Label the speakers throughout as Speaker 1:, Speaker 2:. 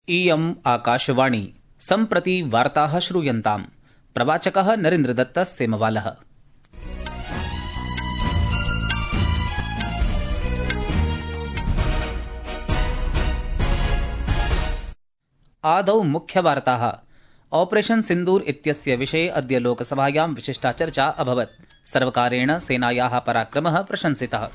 Speaker 1: इयम् आकाशवाणी सम्प्रति वार्ताः श्रूयन्ताम्। प्रवाचकः नरेन्द्रदत्त सेमवालः। आदौ मुख्यवार्ताः। ऑपरेशन सिन्दूर इत्यस्य विषये अद्य लोकसभायां विशिष्टा चर्चा अभवत्। सर्वकारेण सेनायाः पराक्रमः प्रशंसितः।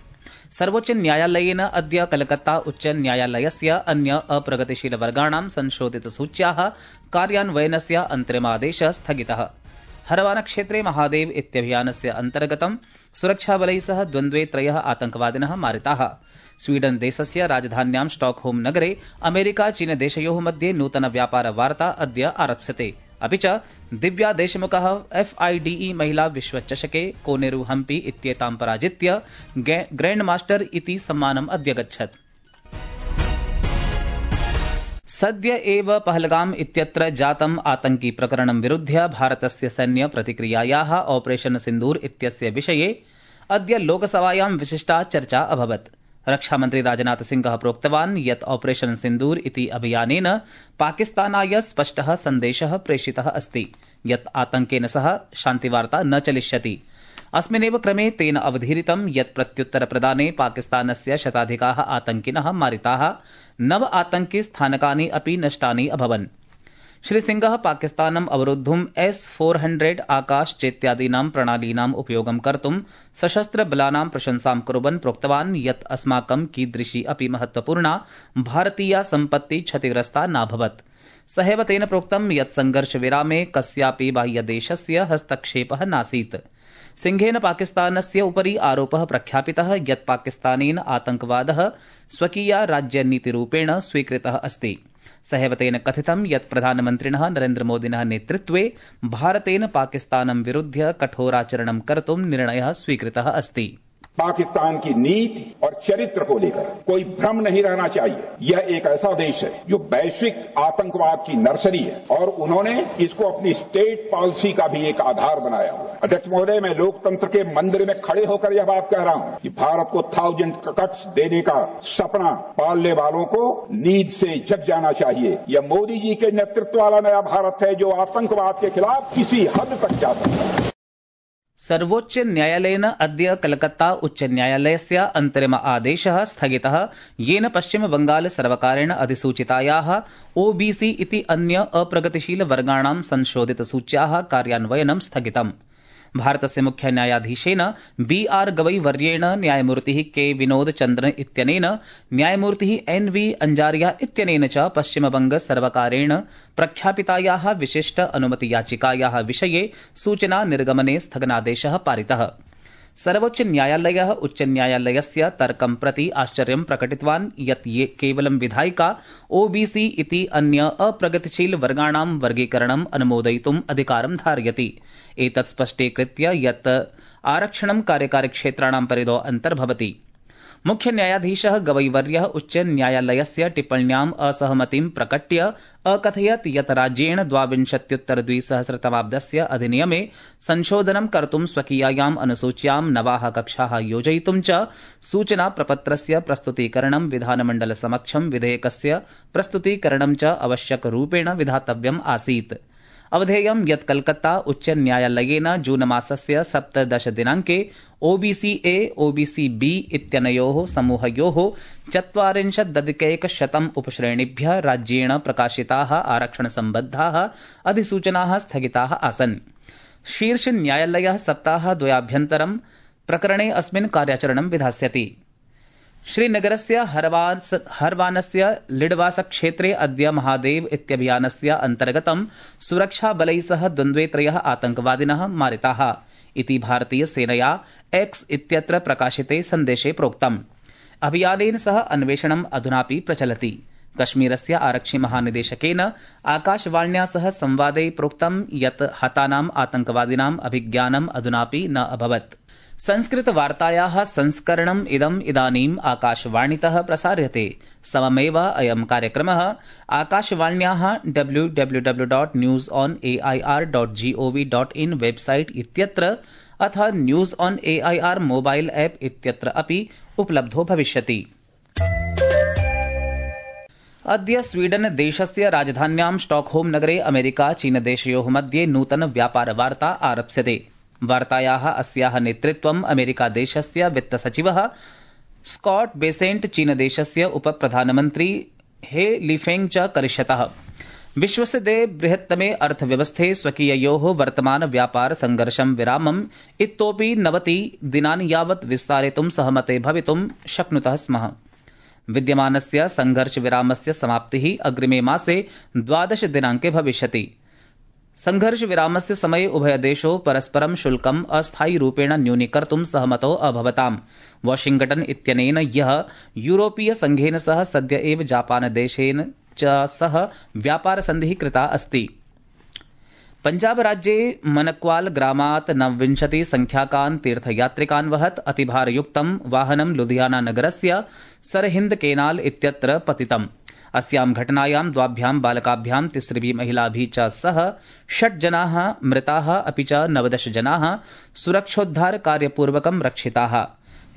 Speaker 1: सर्वोच्च न्यायालयेन अद्य कलकत्ता उच्च न्यायालयस्य अन्य अप्रगतिशीलवर्गाणां संशोधितसूच्याः कार्यान्वयनस्य अन्तिमादेशः स्थगितः। हरवानक्षेत्रे महादेव इत्यभियानस्य अन्तर्गतं सुरक्षाबलैः सह द्वन्द्वे 3 आतंकवादिनः मारिताः। स्वीडन देशस्य राजधान्यां स्टॉकहोम नगरे अमेरिका चीन देशयोः मध्ये नूतन व्यापार वार्ता अद्य आरप्स्यते। अपि च दिव्या देशमुखः FIDE महिला विश्वचषके कोनेरू हम्पी इत्येतां पराजित्य ग्रैंड मास्टर इति सम्मानम् अध्यगच्छत्। सद्य एव पहलगाम इत्यत्र जातम् आतंकी प्रकरणं विरुध्य भारतस्य सैन्य प्रतिक्रियायाः ऑपरेशन सिन्दूर इत्यस्य विषये अद्य लोकसभायां विशिष्टा चर्चा अभवत्। रक्षामन्त्री राजनाथ सिंहः प्रोक्तवान् यत् ऑपरेशन सिन्दूर इति अभियानेन पाकिस्तानाय स्पष्टः सन्देशः प्रेषितः अस्ति यत् आतंकेन सह शान्तिवार्ता न चलिष्यति। अस्मिन्नेव क्रमे तेन अवधीरितं यत् प्रत्युत्तरप्रदाने पाकिस्तानस्य शताधिकाः आतंकिनः मारिताः। 9 आतंकि स्थानकानि अपि नष्टानि अभवन्। श्रीसिंहः पाकिस्तानम् अवरोद्धुम् S-400 आकाश चेत्यादीनां प्रणालीनाम् उपयोगं कर्तुं सशस्त्रबलानां प्रशंसां कुर्वन् प्रोक्तवान् यत् अस्माकं कीदृशी अपि महत्वपूर्णा भारतीया सम्पत्ति क्षतिग्रस्ता नाभवत्। सहैव तेन प्रोक्तं यत् संघर्षविरामे कस्यापि बाह्यदेशस्य हस्तक्षेपः नासीत्। सिंहेन पाकिस्तानस्य उपरि आरोपः प्रख्यापितः यत् पाकिस्तानेन आतंकवादः स्वकीया राज्यनीतिरूपेण स्वीकृतः अस्ति। सहैव तेन कथितं यत् प्रधानमन्त्रिणः नरेन्द्रमोदिनः नेतृत्वे भारतेन पाकिस्तानं विरुध्य कठोराचरणं कर्तुं निर्णयः स्वीकृतः अस्ति।
Speaker 2: पाकिस्तान की नीति और चरित्र को लेकर कोई भ्रम नहीं रहना चाहिए। यह एक ऐसा देश है जो वैश्विक आतंकवाद की नर्सरी है और उन्होंने इसको अपनी स्टेट पॉलिसी का भी एक आधार बनाया हुआ है। अध्यक्ष महोदय, मैं लोकतंत्र के मंदिर में खड़े होकर यह बात कह रहा हूं कि भारत को 1000 कट्स देने का सपना पालने वालों को नींद से जग जाना चाहिए। यह मोदी जी के नेतृत्व वाला नया भारत है जो आतंकवाद के खिलाफ किसी हद तक जा सकता है।
Speaker 1: सर्वोच्च न्यायालयेन अद्य कलकत्ता उच्च न्यायालयस्य अन्तिम आदेशः स्थगितः येन पश्चिम बंगाल सर्वकारेण अधिसूचितायाः OBC इति अन्य अप्रगतिशील वर्गाणां संशोधितसूच्याः कार्यान्वयनं स्थगितम्। भारतस्य मुख्य न्यायाधीशेन BR गवई वर्येण न्यायमूर्तिः K विनोद चन्द्रन इत्यनेन न्यायमूर्तिः NV अंजारिया इत्यनेन च पश्चिमबंग सर्वकारेण प्रख्यापितायाः विशिष्ट अनुमति याचिकायाः विषये सूचना निर्गमने स्थगनादेशः पारितः। सर्वोच्च न्यायालयः उच्च न्यायालयस्य तर्कं प्रति आश्चर्यं प्रकटितवान् यत् ये केवलं विधायिका OBC इति अन्य अप्रगतिशील वर्गाणां वर्गीकरणम् अनुमोदयितुम् अधिकारं धारयति। एतत् स्पष्टीकृत्य यत् आरक्षणं कार्यकारिक्षेत्राणां परिधौ अन्तर्भवति। मुख्य न्यायाधीशः गवईवर्यः उच्च न्यायालयस्य टिप्पण्याम् असहमतिं प्रकट्य अकथयत् यत् राज्येण 22-उत्तर-2000 तमाब्दस्य अधिनियमे संशोधनं कर्तुं स्वकीयायाम् अनुसूच्यां नवाः कक्षाः योजयितुं च सूचना प्रपत्रस्य प्रस्तुतीकरणं विधानमण्डलसमक्षं विधेयकस्य प्रस्तुतीकरणं च आवश्यकरूपेण विधातव्यम् आसीत्। अवधेयं यत् कलकत्ता उच्च न्यायालयेन जून मासस्य 17 दिनाङ्के OBC A OBC B इत्यनयोः समूहयोः 40% उपश्रेणिभ्यः राज्येण प्रकाशिताः आरक्षणसम्बद्धाः अधिसूचनाः स्थगिताः आसन्। शीर्ष न्यायालयः सप्ताहद्वयाभ्यन्तरं प्रकरणे अस्मिन् कार्याचरणं विधास्यति। श्रीनगरस्य हरवानस्य लिडवास क्षेत्रे अद्य महादेव इत्यभियानस्य अन्तर्गतं सुरक्षाबलैः सह द्वन्द्वे 3 आतंकवादिनः मारिताः इति भारतीय सेनया X इत्यत्र प्रकाशिते सन्देशे प्रोक्तम्। अभियानेन सह अन्वेषणम् अधुनापि प्रचलति। कश्मीरस्य आरक्षि महानिदेशकेन आकाशवाण्या सह संवादे प्रोक्तं यत् हतानाम् आतंकवादिनाम् अभिज्ञानम् अधुनापि न अभवत्। संस्कृतवार्तायाः संस्करणम् इदानीम् आकाशवाणीतः प्रसार्यते। सममेव अयं कार्यक्रमः आकाशवाण्याः www.newsonair.gov.in वेबसाइट इत्यत्र अथ news on AIR mobile app इत्यत्र अपि उपलब्धो भविष्यति। अद्य स्वीडन देशस्य राजधान्यां स्टॉकहोम नगरे अमेरिका चीनदेशयोः मध्ये नूतन व्यापार वार्ता आरप्स्यते। वार्तायाः अस्याः नेतृत्वम् अमेरिका देशस्य वित्तसचिवः स्कॉट बेसेंट चीनदेशस्य उपप्रधानमन्त्री हे लिफेंग च करिष्यतः। विश्वस्य बृहत्तमे अर्थव्यवस्थे स्वकीययोः वर्तमान व्यापार संघर्षं विरामम् इतोपि 90 दिनानि यावत् विस्तारयितुं सहमते भवितुं शक्नुतः स्मः। विद्यमानस्य संघर्ष विरामस्य समाप्तिः अग्रिमे मासे 12 दिनाङ्के भविष्यति। संघर्ष विरामस्य समये उभयदेशौ परस्परं शुल्कम् अस्थायिरूपेण न्यूनीकर्तुं सहमतौ अभवताम्। वाशिंग्टन इत्यनेन यः यूरोपीय संघेन सह सद्य एव जापान देशेन च सह व्यापार संधिः कृता अस्ति। पंजाब राज्ये मनक्वाल ग्रामात् 29 संख्याकान् तीर्थयात्रिकान् वहत् अतिभारयुक्तं वाहनं लुधियाना नगरस्य सरहिन्द केनाल इत्यत्र पतितम्। अस्यां घटनायां 2 बालकाभ्यां 3 महिलाभिः च सह 6 जनाः मृताः अपि च 19 जनाः सुरक्षोद्धार कार्यपूर्वकं रक्षिताः।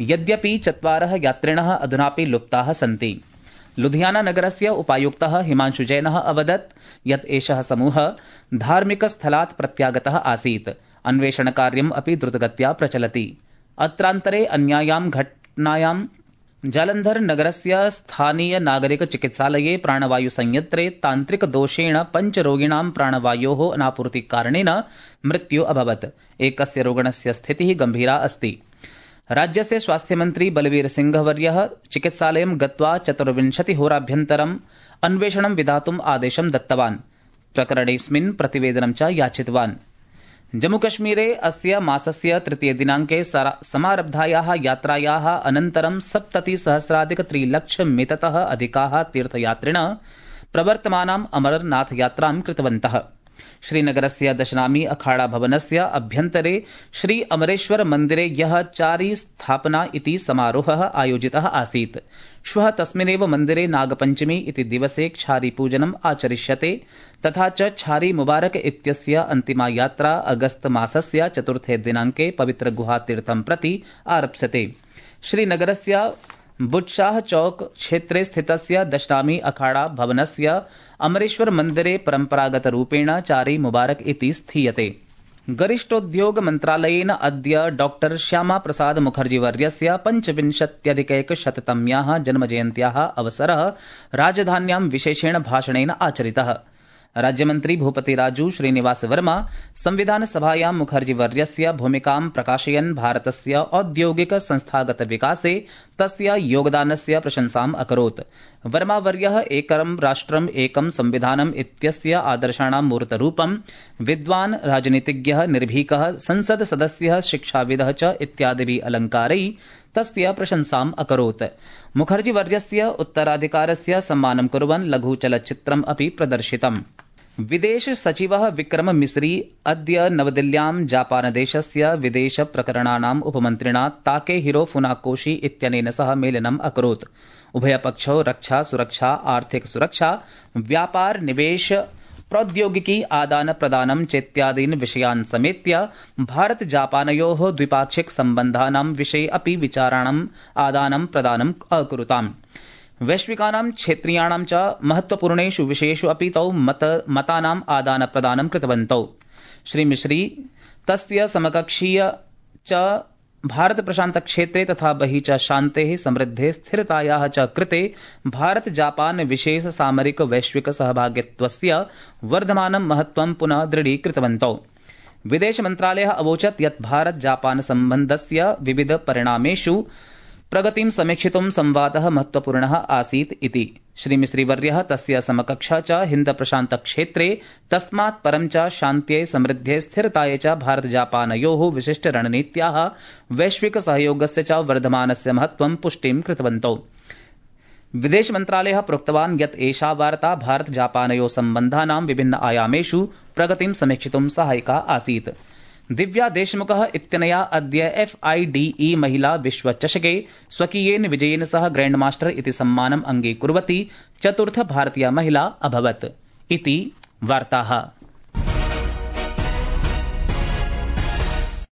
Speaker 1: यद्यपि 4 यात्रिणः अधुनापि लुप्ताः सन्ति। लुधियाना नगरस्य उपायुक्तः हिमांशु जैनः अवदत् यत् एषः समूहः धार्मिकस्थलात् प्रत्यागतः आसीत्। अन्वेषणकार्यम् अपि द्रुतगत्या प्रचलति। अत्रान्तरे अन्यायां घटनायां जालन्धर नगरस्य स्थानीय नागरिक चिकित्सालये प्राणवायुसंयन्त्रे तान्त्रिकदोषेण 5 रोगिणां प्राणवायोः अनापूर्तिकारणेन मृत्यु अभवत्। एकस्य रोगिणस्य स्थितिः गम्भीरा अस्ति। राज्यस्य स्वास्थ्यमन्त्री बलवीर सिंहवर्यः चिकित्सालयं गत्वा 24 होराभ्यन्तरम् अन्वेषणं विधातुम् आदेशं दत्तवान्। प्रकरणेऽस्मिन् प्रतिवेदनं च याचितवान्। जम्मूकश्मीरे अस्य मासस्य 3 दिनाङ्के समारब्धायाः यात्रायाः अनन्तरं 70,000,000-3,00,000-मिततः अधिकाः तीर्थयात्रिणः प्रवर्तमानाम् अमरनाथ यात्रां कृतवन्तः। श्रीनगरस्य दशनामी अखाड़ा भवनस्य अभ्यन्तरे श्री अमरेश्वर मन्दिरे यः चारी स्थापना इति समारोहः आयोजितः आसीत्। श्वः तस्मिन्नेव मन्दिरे नागपञ्चमी इति दिवसे क्षारी पूजनम् आचरिष्यते। तथा च क्षारी मुबारक इत्यस्य अन्तिमा यात्रा अगस्त मासस्य 4 दिनाङ्के पवित्र गुहातीर्थं प्रति आरप्स्यते। श्रीनगरस्य बुट्शाह चौक क्षेत्रे स्थितस्य दशनामी अखाड़ा भवनस्य अमरेश्वर मन्दिरे परम्परागतरूपेण चारी मुबारक इति स्थीयते। गरिष्ठोद्योग मन्त्रालयेन अद्य डॉ श्यामा प्रसाद मुखर्जी वर्यस्य 25,100तम्याः जन्मजयन्त्याः अवसरः राजधान्यां विशेषेण भाषणेन आचरितः। राज्यमन्त्री भूपतिराजू श्रीनिवास वर्मा संविधान सभायां मुखर्जी वर्यस्य भूमिकां प्रकाशयन् भारतस्य औद्योगिक संस्थागत विकासे तस्य योगदानस्य प्रशंसाम् अकरोत्। वर्मा वर्यः एकं राष्ट्रम् एकं संविधानम् इत्यस्य आदर्शाणां मूर्तरूपं विद्वान्, राजनीतिज्ञः, निर्भीकः, संसद सदस्यः, शिक्षाविदः च इत्यादिभिः अलङ्कारैः तस्य प्रशंसाम् अकरोत्। मुखर्जी वर्यस्य उत्तराधिकारस्य सम्मानं कुर्वन् लघुचलच्चित्रम् अपि प्रदर्शितम्। विदेश सचिवः विक्रम मिस्री अद्य नवदिल्ल्यां जापानदेशस्य विदेश प्रकरणानाम् उपमन्त्रिणा ताकेहिरो फुनाकोशी इत्यनेन सह मेलनम् अकरोत्। उभयपक्षौ रक्षा, सुरक्षा, आर्थिक सुरक्षा, व्यापार, निवेश, प्रौद्योगिकी आदान प्रदानं चेत्यादीन् विषयान् समेत्य भारत जापानयोः द्विपाक्षिक सम्बन्धानां विषये अपि विचाराणाम् आदानं प्रदानम् अकुरुताम्। वैश्विकानां क्षेत्रीयाणां च महत्वपूर्णेषु विषयेषु अपि तौ मतानाम् आदान प्रदानं कृतवन्तौ। श्री मिश्री तस्य समकक्षीय च भारत प्रशांत क्षेत्रे तथा बहिः च शान्तेः, समृद्धेः, स्थिरतायाः च कृते भारत जापान विशेष सामरिक वैश्विक सहभागित्वस्य वर्धमानं महत्वं पुनः दृढीकृतवन्तौ। विदेश मन्त्रालयः अवोचत् यत् भारत जापान सम्बन्धस्य विविध परिणामेषु प्रगतिं समीक्षितुं संवादः महत्वपूर्णः आसीत् इति। श्रीमिश्रीवर्यः तस्य समकक्षः च हिन्द प्रशांत क्षेत्रे तस्मात् परं च शान्त्यै, समृद्ध्यै, स्थिरतायै च भारत जापानयोः विशिष्ट रणनीत्याः वैश्विक सहयोगस्य च वर्धमानस्य महत्वं पुष्टिं कृतवन्तौ। विदेश मन्त्रालयः प्रोक्तवान् यत् एषा वार्ता भारत जापानयोः सम्बन्धानां विभिन्न आयामेषु प्रगतिं समीक्षितुं सहायिका आसीत्। दिव्या देशमुखः इत्यनया अद्य FIDE महिला विश्वचषके स्वकीयेन विजयेन सह ग्रैंड मास्टर इति सम्मानम् अङ्गीकुर्वती चतुर्थ भारतीया महिला अभवत् इति वार्ताः।